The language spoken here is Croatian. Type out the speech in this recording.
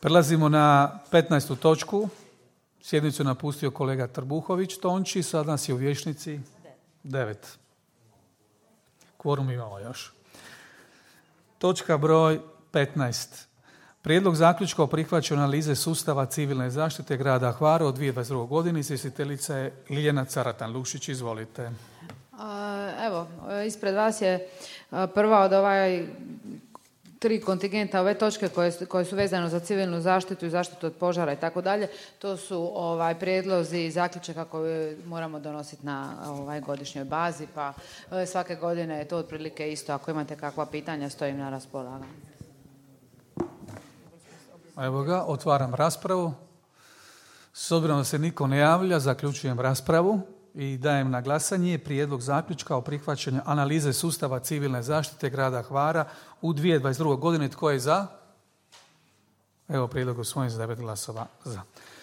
Prelazimo na 15. točku. Sjednicu je napustio kolega Trbuhović Tonči, sad nas je u vijećnici 9. Kvorum imamo još. Točka broj 15. Prijedlog zaključka o prihvaćanju analize sustava civilne zaštite grada Hvara od 2022. godine. Izvjestiteljica je Ljiljana Caratan-Lušić. Izvolite. Evo, ispred vas je prva od tri kontingenta ove točke koje su vezane za civilnu zaštitu i zaštitu od požara i tako dalje. To su prijedlozi i zaključaka koje moramo donositi na godišnjoj bazi, pa svake godine je to otprilike isto. Ako imate kakva pitanja, stojim na raspolaganju. Evo ga, otvaram raspravu. S obzirom da se niko ne javlja, zaključujem raspravu i dajem na glasanje prijedlog zaključka o prihvaćanju analize sustava civilne zaštite grada Hvara u 2022. godine. Tko je za? Evo prijedlog usvojen s 9 glasova za.